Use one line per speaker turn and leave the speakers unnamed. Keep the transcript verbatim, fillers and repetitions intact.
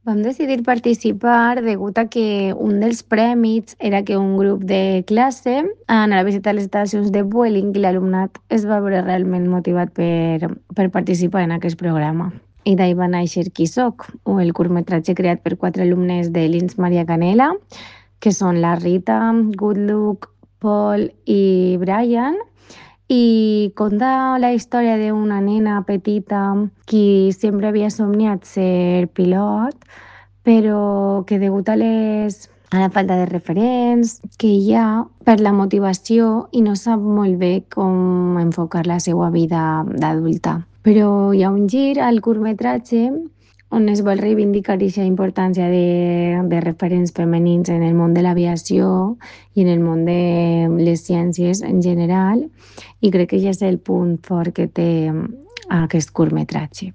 Vam decidir participar degut a que un dels prèmits era que un grup de classe anara a visitar les estacions de Vueling i l'alumnat es va veure realment motivat per, per participar en aquest programa. I d'ahí va néixer Qui soc, o el curtmetratge creat per quatre alumnes de l'Ins Maria Canela, que són la Rita, Good Luck, Paul i Brian, i conta la història d'una nena petita qui sempre havia somniat ser pilot, però que degut a les a la falta de referents que hi ha per la motivació i no sap molt bé com enfocar la seva vida d'adulta. Però hi ha un gir al curtmetratge on es vol reivindicar aquesta importància de, de referents femenins en el món de l'aviació i en el món de les ciències en general, i crec que ja és el punt fort que té aquest curtmetratge.